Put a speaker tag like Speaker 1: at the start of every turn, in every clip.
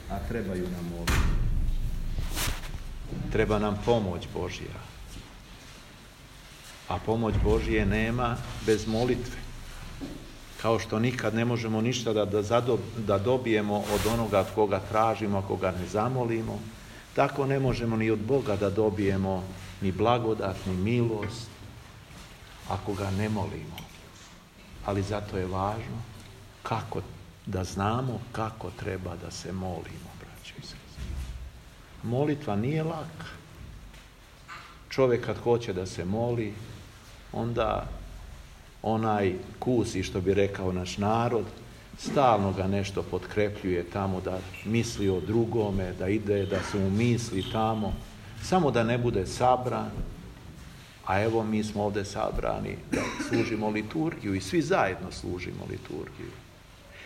Speaker 1: a trebaju nam molitve. Treba nam pomoć Božja. A pomoć Božje nema bez molitve. Kao što nikad ne možemo ništa da dobijemo od onoga koga tražimo, ako ga ne zamolimo, tako ne možemo ni od Boga da dobijemo ni blagodat, ni milost, ako ga ne molimo. Ali zato je važno kako da znamo kako treba da se molimo, braćo i sestre. Molitva nije laka. Čovjek kad hoće da se moli, onda onaj kusi, što bi rekao naš narod, stalno ga nešto potkrepljuje tamo, da misli o drugome, da ide, da se mu misli tamo, samo da ne bude sabran. A evo mi smo ovdje sabrani da služimo liturgiju i svi zajedno služimo liturgiju.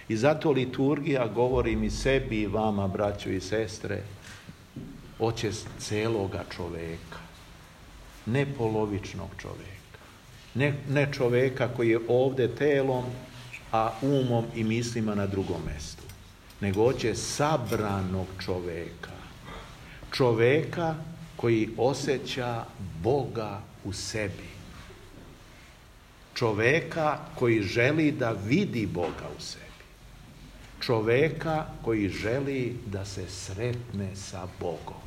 Speaker 1: I zato liturgija, govorim i sebi i vama, braćo i sestre, hoće celoga čoveka, ne polovičnog čoveka, ne čoveka koji je ovdje telom, a umom i mislima na drugom mjestu, nego hoće sabranog čoveka, čoveka koji osjeća Boga u sebi, čoveka koji želi da vidi Boga u sebi, čoveka koji želi da se sretne sa Bogom.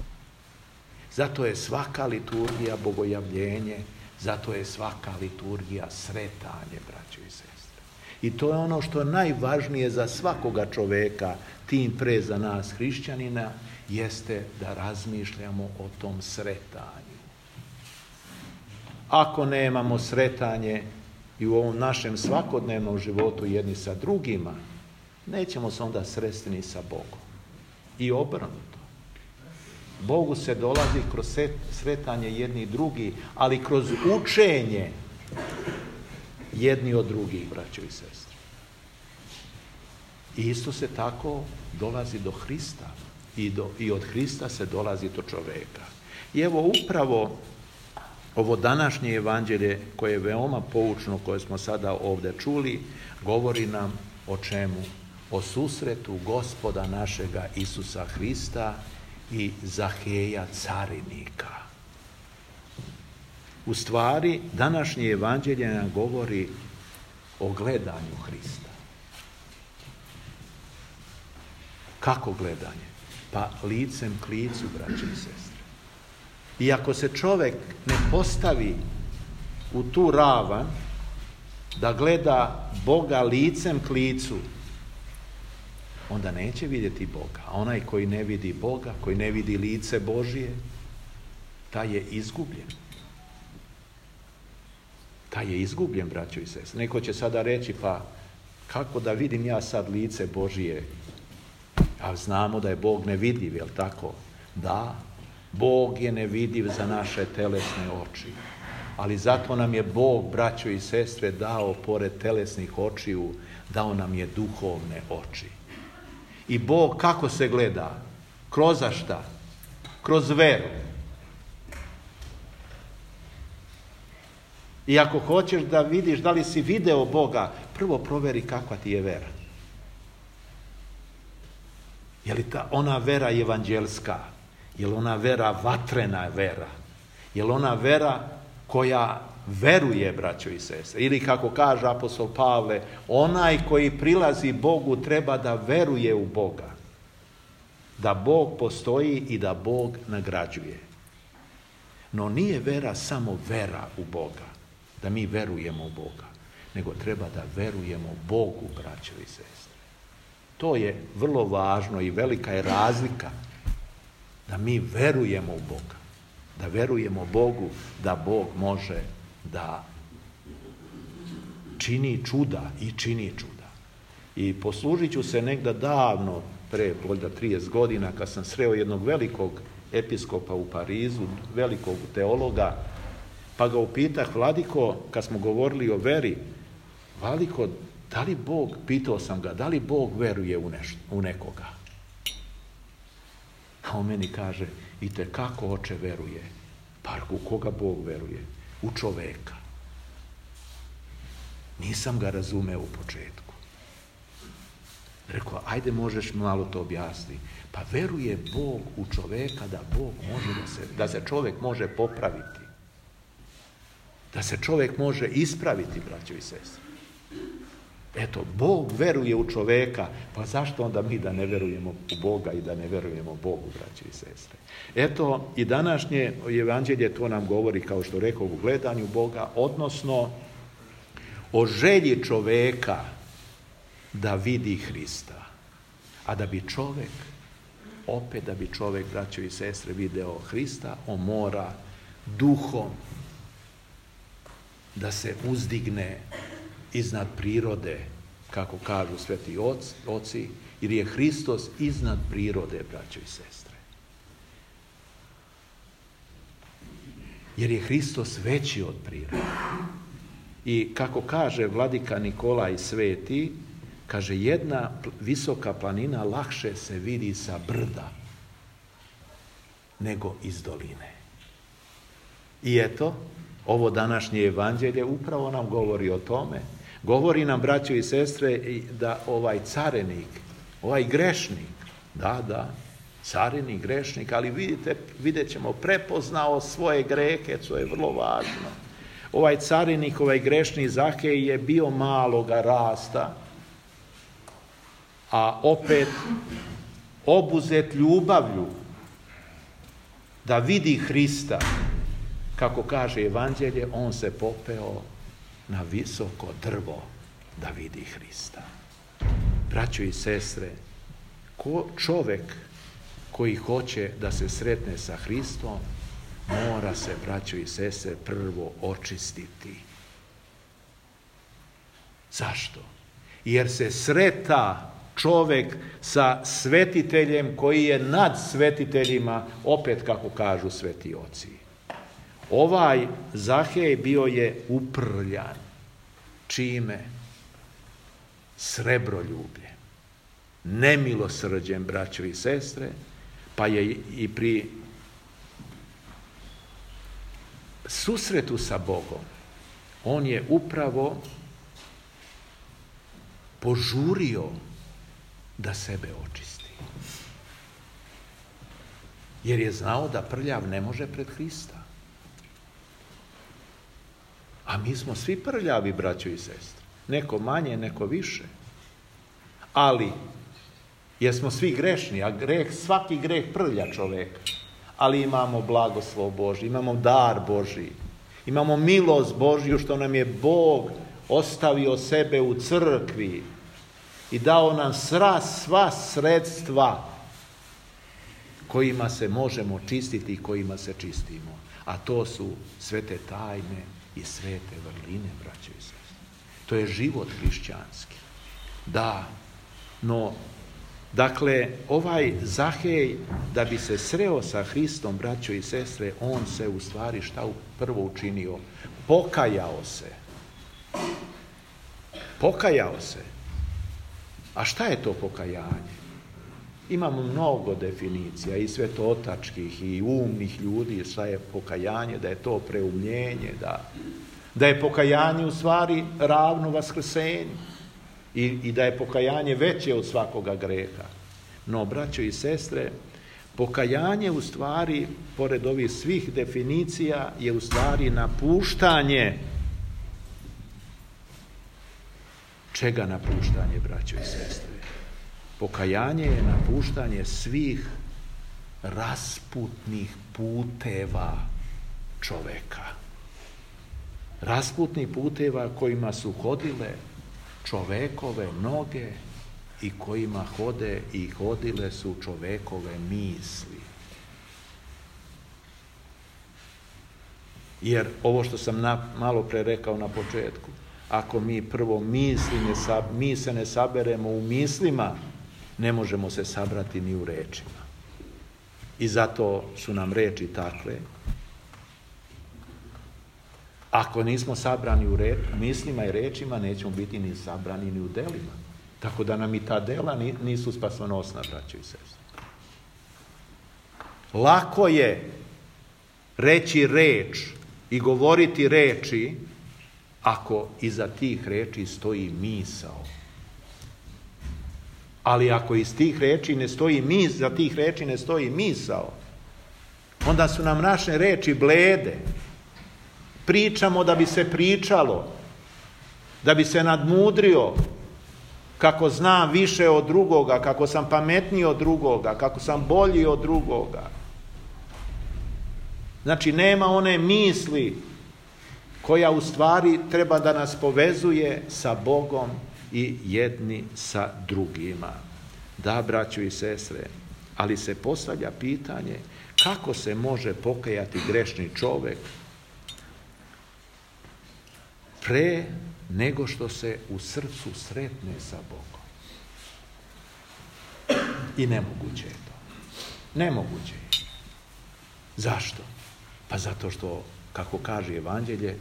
Speaker 1: Zato je svaka liturgija bogojavljenje, zato je svaka liturgija sretanje, braćo i sestre. I to je ono što je najvažnije za svakoga čoveka, tim pre za nas hrišćanina, jeste da razmišljamo o tom sretanju. Ako nemamo sretanje i u ovom našem svakodnevnom životu jedni sa drugima, nećemo se onda sresti ni sa Bogom. I obrnuto. Bogu se dolazi kroz sretanje jedni i drugi, ali kroz učenje jedni od drugih, braćo i sestre. I isto se tako dolazi do Hrista. I od Hrista se dolazi do čoveka. I evo upravo ovo današnje evanđelje, koje je veoma poučno, koje smo sada ovdje čuli, govori nam o čemu? O susretu Gospoda našega Isusa Hrista i Zaheja carinika. U stvari, današnje evanđelje nam govori o gledanju Hrista. Kako gledanje? Pa licem k licu, braće i sestre. I ako se čovjek ne postavi u tu ravan da gleda Boga licem k licu, onda neće vidjeti Boga. A onaj koji ne vidi Boga, koji ne vidi lice Božije, taj je izgubljen. Taj je izgubljen, braćo i sestre. Neko će sada reći, pa kako da vidim ja sad lice Božije? A znamo da je Bog nevidljiv, jel tako? Da, Bog je nevidljiv za naše telesne oči. Ali zato nam je Bog, braćo i sestre, dao, pored telesnih očiju, dao nam je duhovne oči. I Bog kako se gleda? Kroz šta? Kroz veru. I ako hoćeš da vidiš da li si video Boga, prvo proveri kakva ti je vera. Je li ona vera evanđelska? Je li ona vera vatrena vera? Je li ona vera koja veruje, braćo i sestre? Ili kako kaže apostol Pavle, onaj koji prilazi Bogu treba da veruje u Boga. Da Bog postoji i da Bog nagrađuje. No nije vera samo vera u Boga, da mi verujemo u Boga, nego treba da verujemo Bogu, braćo i sestre. To je vrlo važno i velika je razlika da mi verujemo u Boga, da verujemo Bogu da Bog može da čini čuda i čini čuda. I poslužit ću se negda davno, pre možda 30 godina, kad sam sreo jednog velikog episkopa u Parizu, velikog teologa, pa ga upitah, Vladiko, kad smo govorili o veri, Vladiko, da li Bog, pitao sam ga, da li Bog veruje u nekoga? A on meni kaže, itekako oče veruje. Pa u koga Bog veruje? U čoveka. Nisam ga razumeo u početku. Rekao, ajde možeš malo to objasniti. Pa veruje Bog u čoveka da Bog može da se čovjek može popraviti. Da se čovjek može ispraviti, braćo i sestre. Eto, Bog veruje u čoveka, pa zašto onda mi da ne verujemo u Boga i da ne verujemo Bogu, braćo i sestre? Eto, i današnje evanđelje to nam govori, kao što rekao, u gledanju Boga, odnosno o želji čoveka da vidi Hrista. A da bi čovjek, braćo i sestre, video Hrista, on mora duhom da se uzdigne iznad prirode, kako kažu sveti oci, jer je Hristos iznad prirode, braćo i sestre. Jer je Hristos veći od prirode. I kako kaže vladika Nikolaj Sveti, kaže, jedna visoka planina lakše se vidi sa brda nego iz doline. I eto, ovo današnje evanđelje upravo nam govori o tome. Govori nam, braćo i sestre, da ovaj carenik, ovaj grešnik, carenik, grešnik, ali vidjet ćemo, prepoznao svoje grehe, to je vrlo važno. Ovaj carenik, ovaj grešni Zahej je bio maloga rasta, a opet obuzet ljubavlju da vidi Hrista, kako kaže evanđelje, on se popeo na visoko drvo da vidi Hrista. Braćo i sestre, čovjek koji hoće da se sretne sa Hristom, mora se, braćo i sestre, prvo očistiti. Zašto? Jer se sreta čovjek sa svetiteljem koji je nad svetiteljima, opet kako kažu sveti oci. Ovaj Zahej bio je uprljan. Čime? Srebroljubljem. Nemilosrđem, braćo i sestre, pa je i pri susretu sa Bogom on je upravo požurio da sebe očisti. Jer je znao da prljav ne može pred Hrista. A mi smo svi prljavi, braćo i sestre. Neko manje, neko više. Ali, jer smo svi grešni, a svaki greh prlja čoveka. Ali imamo blagoslov Božji, imamo dar Božji, imamo milost Božju što nam je Bog ostavio sebe u crkvi i dao nam sva sredstva kojima se možemo čistiti i kojima se čistimo. A to su svete tajne i svete vrline, braćo i sestre. To je život hrišćanski. Da, no, dakle, ovaj Zahej, da bi se sreo sa Hristom, braćo i sestre, on se u stvari šta prvo učinio? Pokajao se. Pokajao se. A šta je to pokajanje? Imamo mnogo definicija i svetotačkih i umnih ljudi šta je pokajanje, da je to preumljenje, da je pokajanje u stvari ravno vaskrsenju i da je pokajanje veće od svakoga greha. No, braćo i sestre, pokajanje u stvari, pored ovih svih definicija, je u stvari napuštanje. Čega napuštanje, braćo i sestre? Pokajanje je napuštanje svih rasputnih puteva čoveka. Rasputnih puteva kojima su hodile čovekove noge i kojima hode i hodile su čovekove misli. Jer ovo što sam malo pre rekao na početku, ako mi prvo mi se ne saberemo u mislima, ne možemo se sabrati ni u rečima. I zato su nam reči takve. Ako nismo sabrani u mislima i rečima, nećemo biti ni sabrani ni u delima. Tako da nam i ta dela nisu spasonosna, braćo i sestre. Lako je reći reč i govoriti reči ako iza tih reči stoji misao. Ali ako iz tih reči ne stoji za tih reči ne stoji misao, onda su nam naše reči blede. Pričamo da bi se pričalo, da bi se nadmudrio, kako znam više od drugoga, kako sam pametniji od drugoga, kako sam bolji od drugoga. Znači, nema one misli koja u stvari treba da nas povezuje sa Bogom i jedni sa drugima. Da, braćo i sestre, ali se postavlja pitanje kako se može pokajati grešni čovjek pre nego što se u srcu sretne sa Bogom. I nemoguće je to. Nemoguće je. Zašto? Pa zato što, kako kaže Evanđelje,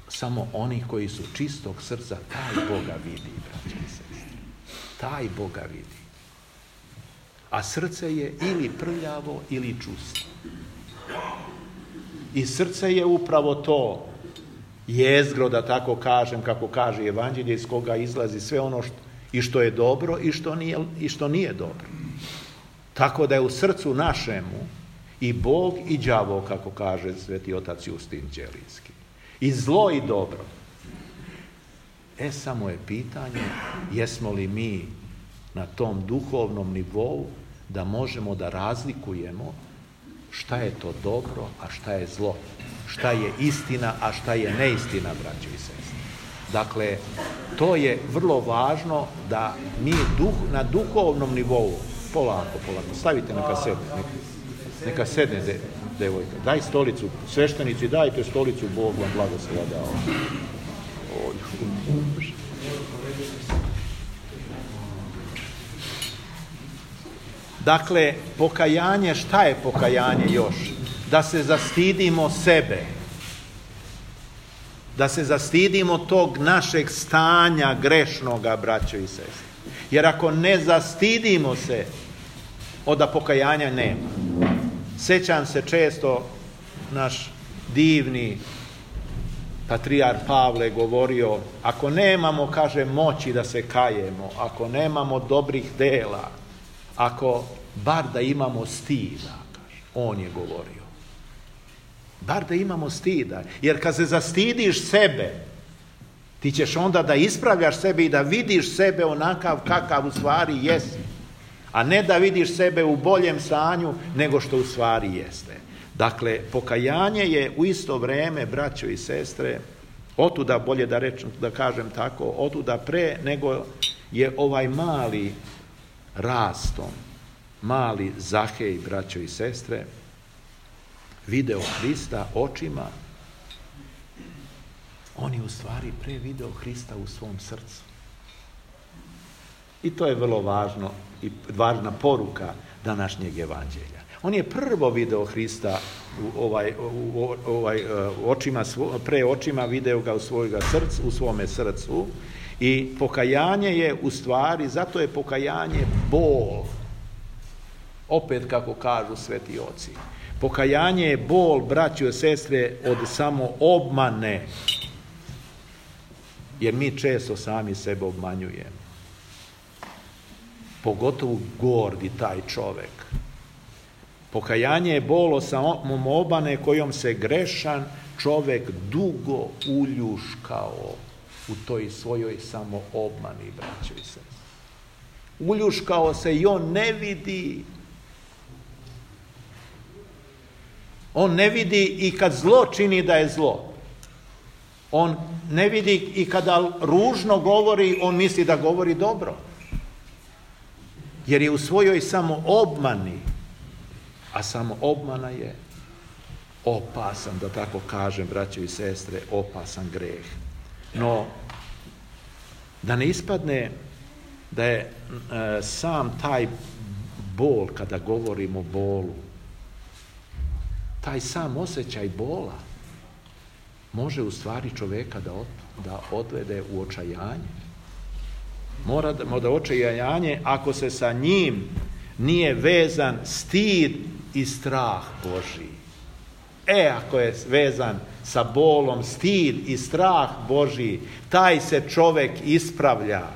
Speaker 1: samo oni koji su čistog srca, taj Boga vidi, braći i sestre. Taj Boga vidi. A srce je ili prljavo ili čusto. I srce je upravo to jezgro, da tako kažem, kako kaže Evanđelje, iz koga izlazi sve ono što je dobro i što nije dobro. Tako da je u srcu našemu i Bog i đavo, kako kaže sveti otac Justin Ćelijski. I zlo i dobro. Samo je pitanje, jesmo li mi na tom duhovnom nivou da možemo da razlikujemo šta je to dobro, a šta je zlo. Šta je istina, a šta je neistina, braćo i sestre. Dakle, to je vrlo važno da mi na duhovnom nivou, polako, stavite neka sedne devojka. Daj stolicu, sveštenici, dajte stolicu, Bog vam blagoslova dao. Dakle, pokajanje, šta je pokajanje još? Da se zastidimo sebe. Da se zastidimo tog našeg stanja grešnoga, braćo i sestre. Jer ako ne zastidimo se, onda pokajanja nema. Sjećam se često, naš divni patrijar Pavle govorio, ako nemamo, kaže, moći da se kajemo, ako nemamo dobrih dela, ako bar da imamo stida, kaže, on je govorio. Bar da imamo stida, jer kad se zastidiš sebe, ti ćeš onda da ispravljaš sebe i da vidiš sebe onakav kakav u stvari jesi, a ne da vidiš sebe u boljem stanju nego što u stvari jeste. Dakle, pokajanje je u isto vrijeme, braćo i sestre, otuda, bolje da kažem tako, otuda pre nego je ovaj mali rastom, mali Zahej, braćo i sestre, video Hrista očima, on je u stvari pre video Hrista u svom srcu. I to je vrlo važno i važna poruka današnjeg evanđelja. On je prvo video Hrista pre očima, video ga u svome srcu, i pokajanje je u stvari, zato je pokajanje bol. Opet kako kažu sveti oci. Pokajanje je bol, braćo i sestre, od samo obmane. Jer mi često sami sebe obmanjujemo. Pogotovo gordi taj čovek. Pokajanje je bol od samom obmane kojom se grešan čovek dugo uljuškao u toj svojoj samo obmani, braćo i sestre. Uljuškao se i on ne vidi. On ne vidi i kad zlo čini da je zlo. On ne vidi i kada ružno govori, on misli da govori dobro. Jer je u svojoj samo obmani, a samo obmana je opasan, da tako kažem, braćo i sestre, opasan greh. No, da ne ispadne da je sam taj bol, kada govorimo o bolu, taj sam osjećaj bola može u stvari čoveka da odvede u očajanje. Mora da očajanje ako se sa njim nije vezan stid i strah Božji. Ako je vezan sa bolom stid i strah Božji, taj se čovek ispravlja.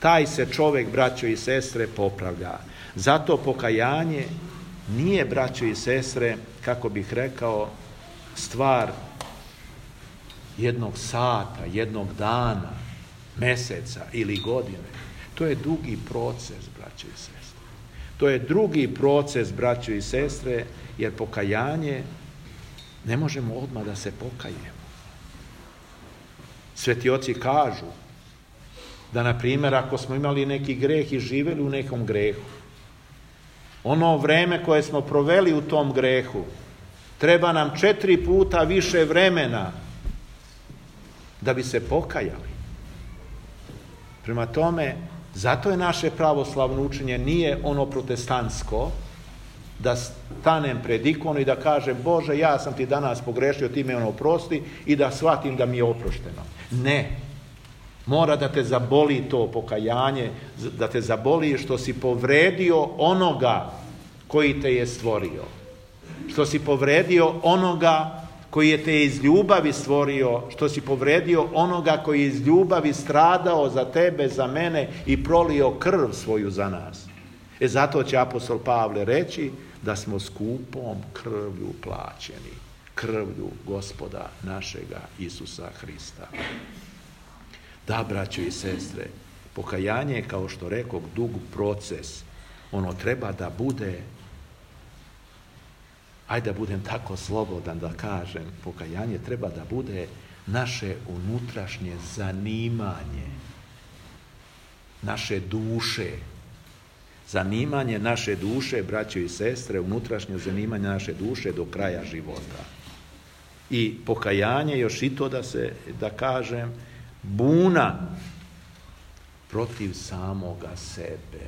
Speaker 1: taj se čovjek, braćo i sestre, popravlja. Zato pokajanje nije, braćo i sestre, kako bih rekao, stvar jednog sata, jednog dana, mjeseca ili godine. To je dugi proces, braćo i sestre. To je drugi proces, braćo i sestre, jer pokajanje ne možemo odmah da se pokajemo. Sveti oci kažu da, na primjer, ako smo imali neki greh i živjeli u nekom grehu, ono vreme koje smo proveli u tom grehu, treba nam 4 puta više vremena da bi se pokajali. Prema tome, zato je naše pravoslavno učenje nije ono protestantsko, da stanem pred ikonu i da kažem: Bože, ja sam ti danas pogrešio, ti me oprosti, i da shvatim da mi je oprošteno. Ne. Mora da te zaboli to pokajanje, da te zaboli što si povredio onoga koji te je stvorio. Što si povredio onoga koji je te iz ljubavi stvorio, što si povredio onoga koji je iz ljubavi stradao za tebe, za mene i prolio krv svoju za nas. Zato će apostol Pavle reći da smo skupom krvlju plaćeni, krvlju Gospoda našega Isusa Hrista. Da, braćo i sestre, pokajanje je, kao što rekoh, dug proces. Ono treba da bude, ajde da budem tako slobodan da kažem, pokajanje treba da bude naše unutrašnje zanimanje, naše duše. Zanimanje naše duše, braćo i sestre, unutrašnje zanimanje naše duše do kraja života. I pokajanje, još i to da kažem, buna protiv samoga sebe.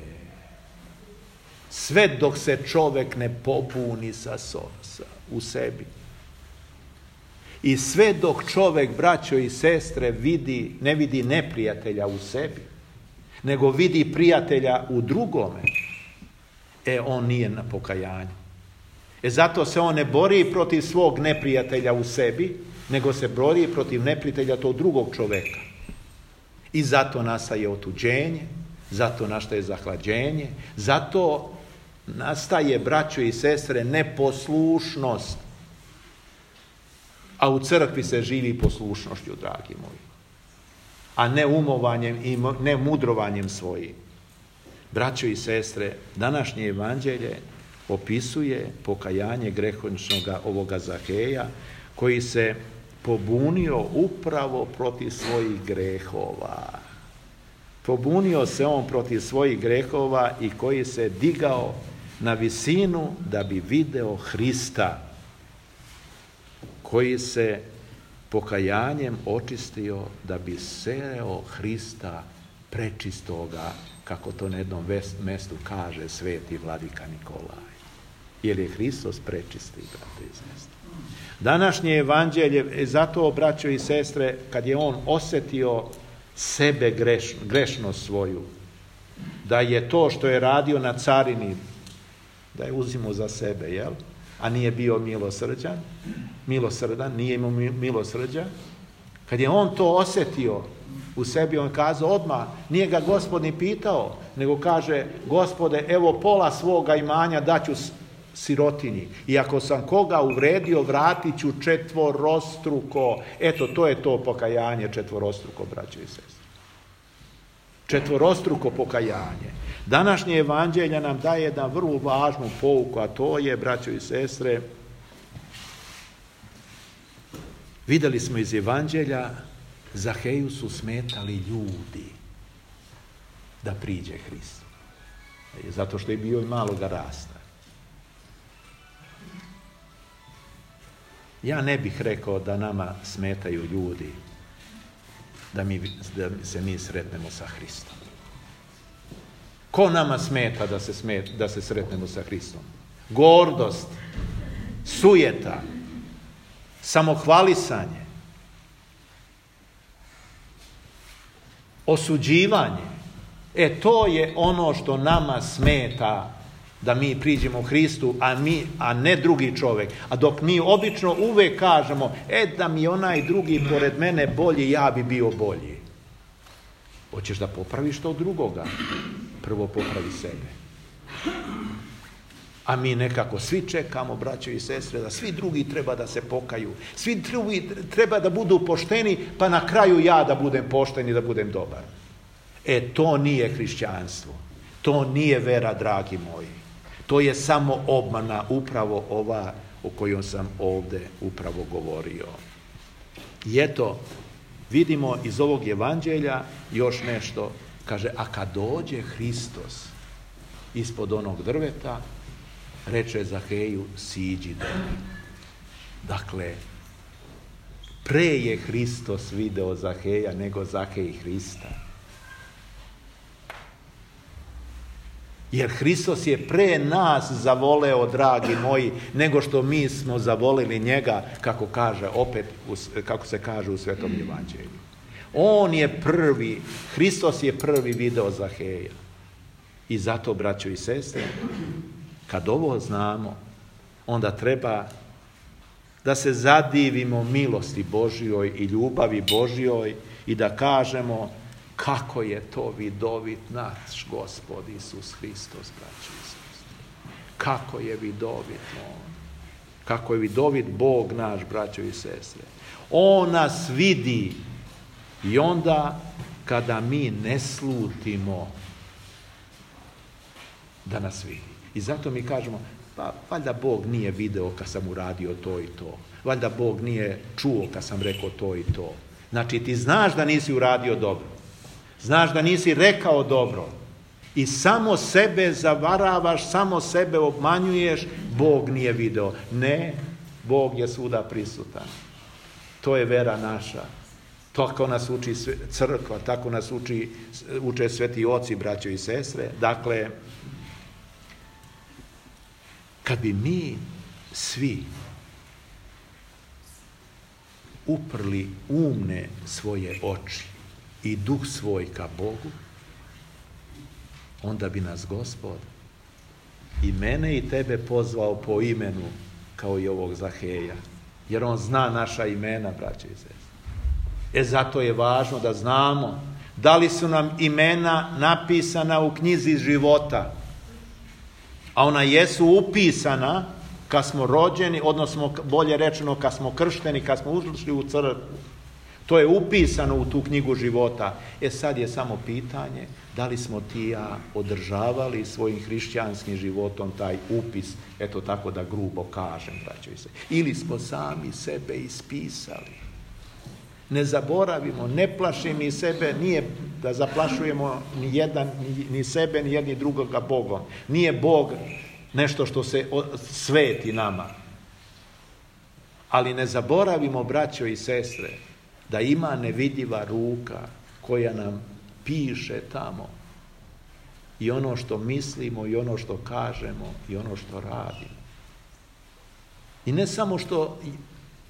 Speaker 1: Sve dok se čovjek ne pobuni u sebi. I sve dok čovjek, braćo i sestre, ne vidi neprijatelja u sebi, nego vidi prijatelja u drugome, on nije na pokajanju. Zato se on ne bori protiv svog neprijatelja u sebi, nego se bori protiv neprijatelja tog drugog čovjeka. I zato nastaje otuđenje, zato nastaje zahlađenje, zato nastaje, braćo i sestre, neposlušnost. A u crkvi se živi poslušnošću, dragi moji, a ne umovanjem i ne mudrovanjem svojim. Braćo i sestre, današnje evanđelje opisuje pokajanje grehoničnoga ovoga Zaheja, koji se pobunio upravo protiv svojih grehova. Pobunio se on protiv svojih grehova i koji se digao na visinu da bi video Hrista, koji se pokajanjem očistio da bi sreo Hrista prečistoga, kako to na jednom mjestu kaže sveti vladika Nikolaj. Jer je Hristos prečisti, brate i sestre. Današnje evanđelje, zato, braćo i sestre, kad je on osjetio sebe grešnost svoju, da je to što je radio na carini, da je uzimao za sebe, jel? A nije bio milosrdan, nije imao milosrđa. Kad je on to osjetio u sebi, on kazao odmah, nije ga Gospod ni pitao, nego kaže: Gospode, evo pola svoga imanja daću sirotinji. I ako sam koga uvredio, vratit ću 4-struko. Eto, to je to pokajanje 4-struko, braćo i sestre. 4-struko pokajanje. Današnje evanđelje nam daje jednu vrlo važnu pouku, a to je, braćo i sestre, vidjeli smo iz evanđelja, Zaheju su smetali ljudi da priđe Hristu. Zato što je bio i maloga rasta. Ja ne bih rekao da nama smetaju ljudi da se mi sretnemo sa Hristom. Ko nama smeta da se sretnemo sa Hristom? Gordost, sujeta, samohvalisanje, osuđivanje. To je ono što nama smeta da mi priđemo Hristu, a ne drugi čovjek. A dok mi obično uvijek kažemo, da mi onaj drugi pored mene bolji, ja bi bio bolji. Hoćeš da popraviš to drugoga, prvo popravi sebe. A mi nekako svi čekamo, braćo i sestre, da svi drugi treba da se pokaju. Svi drugi treba da budu pošteni, pa na kraju ja da budem pošten i da budem dobar. To nije hrišćanstvo. To nije vera, dragi moji. To je samo obmana, upravo ova o kojoj sam ovdje upravo govorio. I eto, vidimo iz ovog evanđelja još nešto. Kaže, a kad dođe Hristos ispod onog drveta, reče Zaheju, siđi dole. Dakle, pre je Hristos video Zaheja nego Zahej Hrista. Jer Hristos je pre nas zavoleo, dragi moji, nego što mi smo zavolili njega, kako se kaže u Svetom evanđelju. On je prvi, Hristos je prvi video Zaheja. I zato, braćo i sestre, kad ovo znamo, onda treba da se zadivimo milosti Božjoj i ljubavi Božjoj i da kažemo kako je to vidovit naš Gospod Isus Hristos, braćo i sestre. Kako je vidovit On. Kako je vidovit Bog naš, braćo i sestre. On nas vidi i onda kada mi ne slutimo da nas vidi. I zato mi kažemo, pa valjda Bog nije video kad sam uradio to i to. Valjda Bog nije čuo kad sam rekao to i to. Znači ti znaš da nisi uradio dobro. Znaš da nisi rekao dobro. I samo sebe zavaravaš, samo sebe obmanjuješ, Bog nije video. Ne, Bog je svuda prisutan. To je vera naša. Tako nas uči crkva, tako nas uče sveti oci, braćo i sestre. Dakle, kad bi mi svi uprli umne svoje oči i duh svoj ka Bogu, onda bi nas Gospod i mene i tebe pozvao po imenu kao i ovog Zaheja. Jer on zna naša imena, braćo i sestre. Zato je važno da znamo da li su nam imena napisana u knjizi života. A ona jesu upisana kad smo rođeni, odnosno bolje rečeno kad smo kršteni, kad smo ušli u crkvu. To je upisano u tu knjigu života. Sad je samo pitanje da li smo ti i ja održavali svojim hrišćanskim životom taj upis, eto tako da grubo kažem, braćo i sestre. Ili smo sami sebe ispisali. Ne zaboravimo, ne plaši mi sebe, nije da zaplašujemo ni sebe, ni jedni drugoga Bogom. Nije Bog nešto što se sveti nama. Ali ne zaboravimo, braćo i sestre, da ima nevidljiva ruka koja nam piše tamo i ono što mislimo i ono što kažemo i ono što radimo. I ne samo što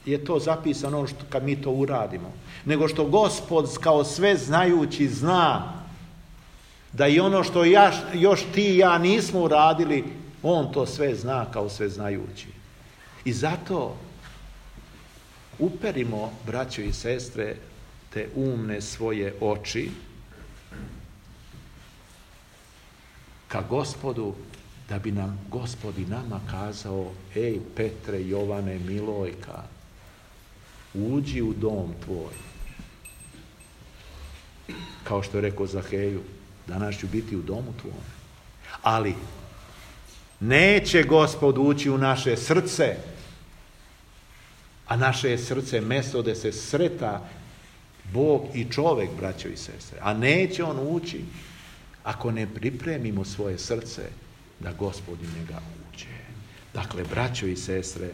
Speaker 1: je to zapisano kad mi to uradimo, nego što Gospod kao sve znajući zna da i ono što još ti i ja nismo uradili, on to sve zna kao sve znajući. I zato uperimo, braćo i sestre, te umne svoje oči ka Gospodu, da bi nam Gospod i nama kazao: ej Petre, Jovane, Milojka, uđi u dom tvoj. Kao što je rekao Zaheju, danas ću biti u domu tvoj. Ali neće Gospod ući u naše srce, a naše je srce mesto gde se sreta Bog i čovek, braćo i sestre. A neće on ući ako ne pripremimo svoje srce da Gospod u njega uđe. Dakle, braćo i sestre,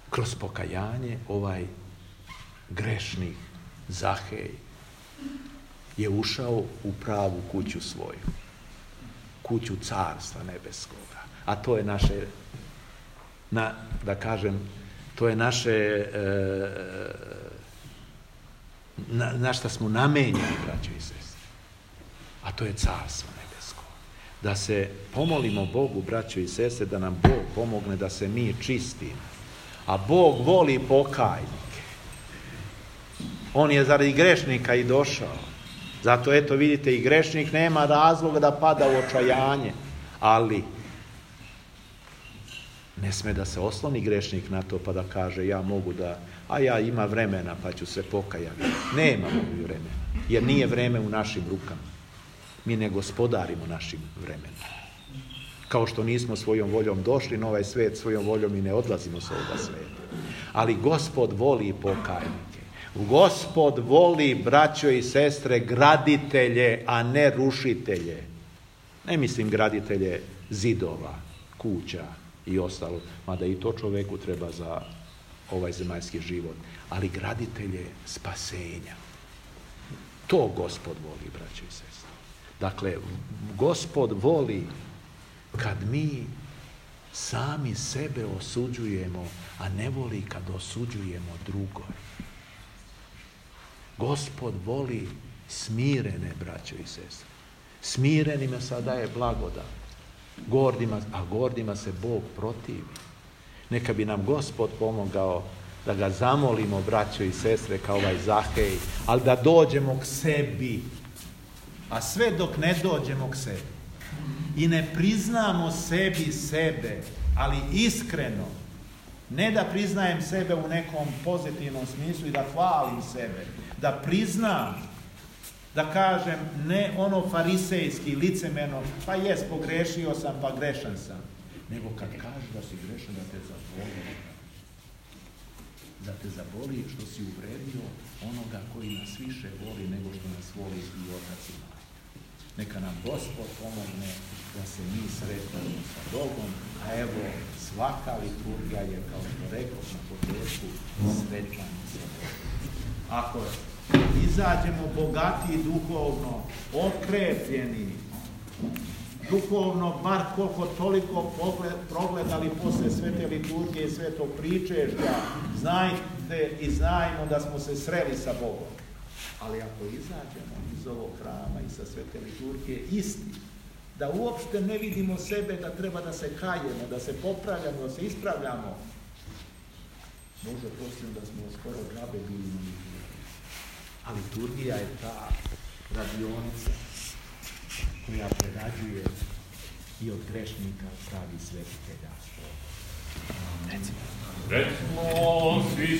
Speaker 1: kroz pokajanje ovaj grešnik Zahej je ušao u pravu kuću svoju, kuću Carstva nebeskoga. A to je naše, to je naše, na šta smo namenjeni, braćo i sestre. A to je Carstvo nebesko. Da se pomolimo Bogu, braćo i sestre, da nam Bog pomogne da se mi čistimo. A Bog voli pokajnike. On je zaradi grešnika i došao. Zato eto vidite, i grešnik nema razloga da pada u očajanje, ali ne sme da se osloni grešnik na to pa da kaže ja mogu da, a ja ima vremena pa ću se pokajati. Nemamo mi vremena, jer nije vreme u našim rukama. Mi ne gospodarimo našim vremenom. Kao što nismo svojom voljom došli na ovaj svijet, svojom voljom i ne odlazimo s ovoga svijeta. Ali Gospod voli pokajnike. Gospod voli, braćo i sestre, graditelje, a ne rušitelje. Ne mislim graditelje zidova, kuća i ostalo, mada i to čoveku treba za ovaj zemaljski život, ali graditelje spasenja. To Gospod voli, braćo i sestre. Dakle, Gospod voli kad mi sami sebe osuđujemo, a ne voli kad osuđujemo drugoj. Gospod voli smirene, braćo i sestre. Smirenima sada je blagodat. Gordima se Bog protivi. Neka bi nam Gospod pomogao da ga zamolimo, braćo i sestre, kao ovaj Zahej, ali da dođemo k sebi. A sve dok ne dođemo k sebi i ne priznamo sebi sebe, ali iskreno, ne da priznajem sebe u nekom pozitivnom smislu i da hvalim sebe, da priznam, da kažem ne ono farisejski, licemerno, pa jes, pogrešio sam, pa grešan sam, nego kad kažeš da si grešan, da te zaboli. Da te zaboli što si uvredio onoga koji nas više voli nego što nas voli i Otac i Majka. Neka nam Gospod pomogne da se mi sretamo sa Bogom, a evo svaka liturgija je, kao što rekao na početku, sretanje sa Bogom. Ako izađemo bogatiji duhovno, okrepljeni, duhovno, bar koliko toliko progledali posle svete liturgije i svetog pričešća, znajte i znajmo da smo se sreli sa Bogom. Ali ako izađemo iz ovog hrama i sa svete liturgije isti, da uopšte ne vidimo sebe da treba da se kajemo, da se popravljamo, da se ispravljamo, možda posljedno da smo skoro džabe bili na liturgiji. A liturgija je ta radionica koja prerađuje i od grešnika pravi svetitelja. Recimo, svi